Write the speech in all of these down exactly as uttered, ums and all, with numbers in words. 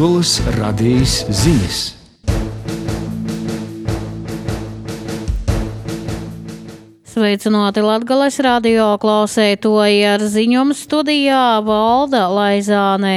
Latgolas radijas ziņas. Sveicināti Latgales radio klausētoji, ar ziņojumu studijā Valda Laizānē.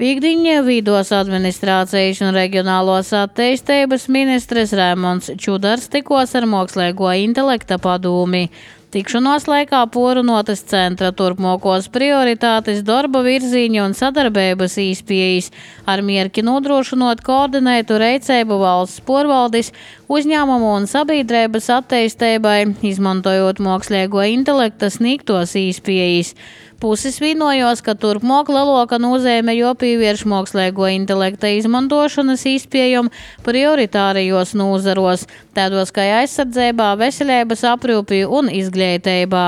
Pīkdiņa vidos administrācijas un reģionālos attīstības ministrs Raimonds Čudars tikos ar mākslīgo intelekta padūmi. Tikšanos laikā porunotas centra turpmākos prioritātes, darba virziņi un sadarbības īspējas, ar mierki nodrošinot koordinētu reicēbu valsts porvaldis, uzņēmumu un sabiedrības attīstībai, izmantojot mākslīgo intelekta sniegtos īspējas. Puses vienojās, ka turpmāk lielāka nozīme jāpievērš mākslīgo intelekta izmantošanas īspējām prioritārajos nozaros, tādos kā aizsardzībā, veselības aprūpē un izglītībā.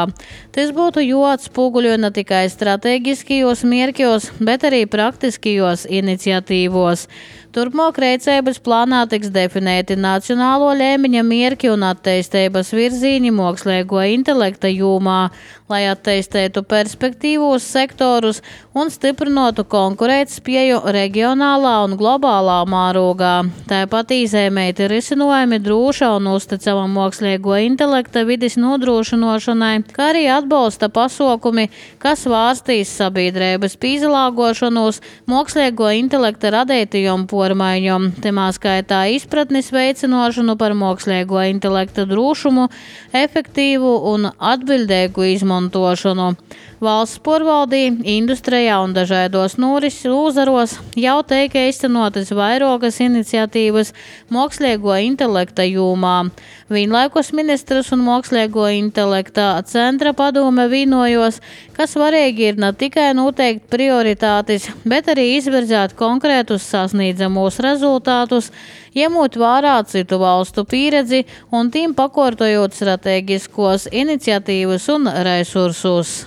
Tas būtu jāatspoguļo ne tikai strateģiskajos mērķos, bet arī praktiskajos iniciatīvos. Turpmāk rīcības plānā tiks definēti nacionālo līmeņa mērķi un attīstības virzieni mākslīgo intelekta jomā, lai attīstītu perspektīvos sektorus un stiprinātu konkurētspēju reģionālā un globālā mērogā. Tāpat izēmēti risinājumi droša un uzticama mākslīgo intelekta vides nodrošināšanai, kā arī atbalsta pasākumi, kas vārstīs sabiedrības pīzlāgošanos mākslīgo intelekta radītajiem pormaiņiem, temā skaitā izpratnes veicināšanu par mākslīgo intelekta drošumu, efektīvu un atbildīgu izmantošanu. Valsts porvaldī, industrijā un dažādos nūris uzaros jau teika izcenotas vairākas iniciatīvas mākslīgo intelekta jomā. Vienlaikus ministrs un mākslīgo intelekta centra padome vienojos, ka svarīgi ir ne tikai noteikt prioritātes, bet arī izvirzēt konkrētus sasniedzamos rezultātus, ņemot vērā citu valstu pieredzi un tiem pakārtojot strateģiskos iniciatīvas un resursus.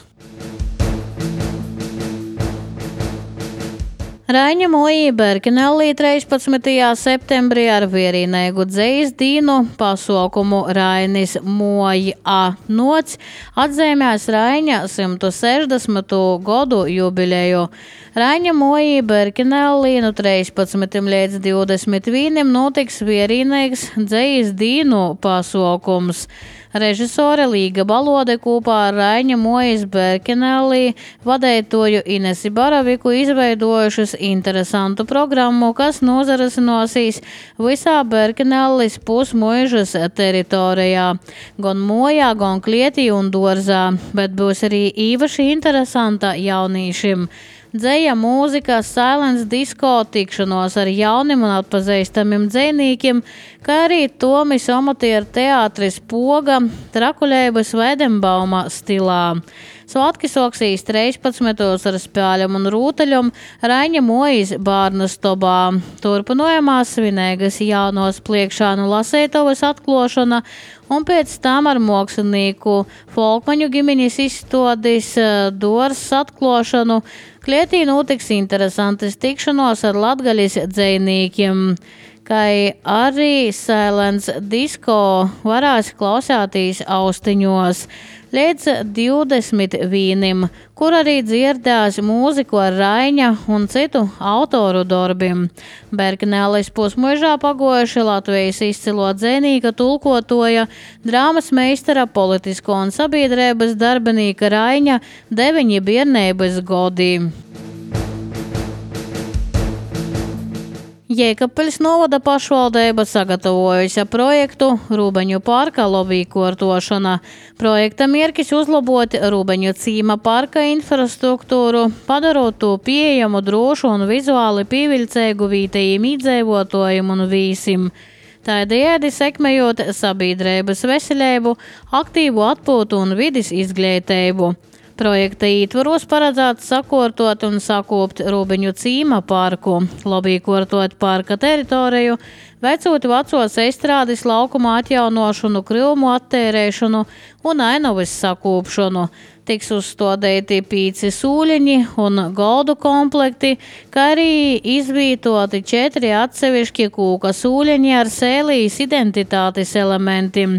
Raiņa Moja Berkenellī trīspadsmitajā septembrī ar vienīgu dzejas dīnu pasaukumu Rainis Moja nots atzīmēs Raiņa simt sešdesmito gadu jubileju. Raiņa Moja Berkenellī no trīspadsmitiem līdz divdesmit vienam notiks vienīgs dzejas dīnu pasaukums. Režisore Līga Balode kopā ar Raiņa Mojas Berkenellī vadītoju Inesi Baraviku izveidojušas interesantu programmu, kas nozarasinosies visā Berkenellis pusmuižas teritorijā, gan Mojā, gan Klietī un Dorzā, bet būs arī īpaši interesanta jaunīšiem. Dzeja, mūzika, silence disco, tikšanos ar jauniem un atpazīstamiem dzejniekiem, kā arī Tomis amatieru teātris Poga Trakuļēbas Vedenbauma stilā. Svētki soksīs trīspadsmitos ar spēļiem un rūtaļiem Raiņa Mojas bārnastobā. Turpinājumā svinīgas jaunos pliekšānu lasētavas atklāšana un pēc tam ar mākslinieku Folkmaņu ģimenes izstādis Dors atklāšanu. Klietī notiks interesantas tikšanos ar latgaļas dzejniekiem, kā arī silence disco varēs klausēties austiņos līdz divdesmit vienam, kur arī dzirdēs mūziku ar Raiņa un citu autoru darbiem. Berkenellis pusmuižā pagojuši Latvijas izcilo dzejnieka tulkotoja, drāmas meistara, politisko un sabiedrības darbinīka Raiņa deviņi bērnības godi. Jēkabpeļs novada pašvaldība sagatavojusi projektu Rūbeņu parka lobīkortošana. Projekta mērķis uzlabot Rūbeņu cīma parka infrastruktūru, padarot to pieejamu, drošu un vizuāli pievilcīgu vietējiem iedzīvotājiem un vīsim. Tādējādi sekmējot sabiedrības veselību, aktīvu atpūtu un vides izglītību. Projekta ietvaros paredzēts sakārtot un sakūpt Rūbeņu cīma parku, lobīkortot parka teritoriju, veicot vecos estrādes laukuma atjaunošanu, krūmu attērēšanu un ainavas sakūpšanu. Tiks uzstādīti pīci sūļiņi un goldu komplekti, kā arī izvītoti četri atsevišķi kūka sūļiņi ar sēlijas identitātes elementiem,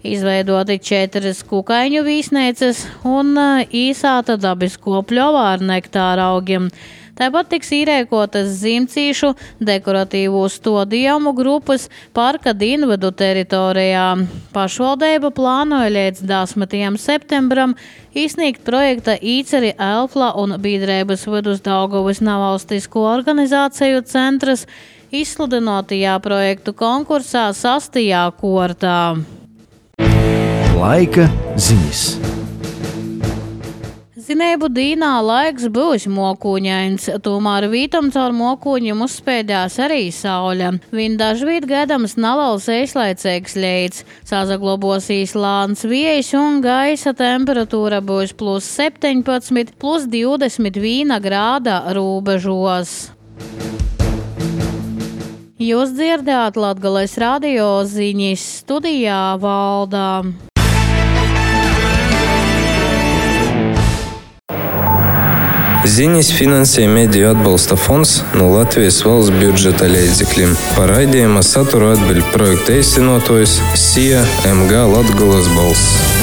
izveidoti četras kukaiņu vīsnēcas un īsāta dabisko pļovā ar nektāra augiem. Tāpat tiks īrēkotas zimcīšu dekoratīvo stodījumu grupas parka dienvidu teritorijā. Pašvaldība plānoja līdz desmitajam septembram izsniegt projekta Īceri Elfla un biedrības vidus Daugavas nevalstisko organizāciju centras izsludinotajā projektu konkursā sastajā kārtā. Laika ziņas. Zinēbu dīnā laiks būs mokūņains, tomēr vītam caur mokūņiem uzspēdās arī saule. Viņ dažvīt gaidams neliels īslaicīgs leits, sazaglobosīs lāns viejs un gaisa temperatūra būs plus septiņpadsmit, plus divdesmit viena grāda rūbežos. Jūs dzirdējāt Latgales radio ziņas, studijā Valdā. Ziņas finansē Mediju atbalsta fonds no Latvijas valsts budžeta līdzekļiem. Par raidījuma saturu atbild projekta īstenotājs S I A M G Latgales balss.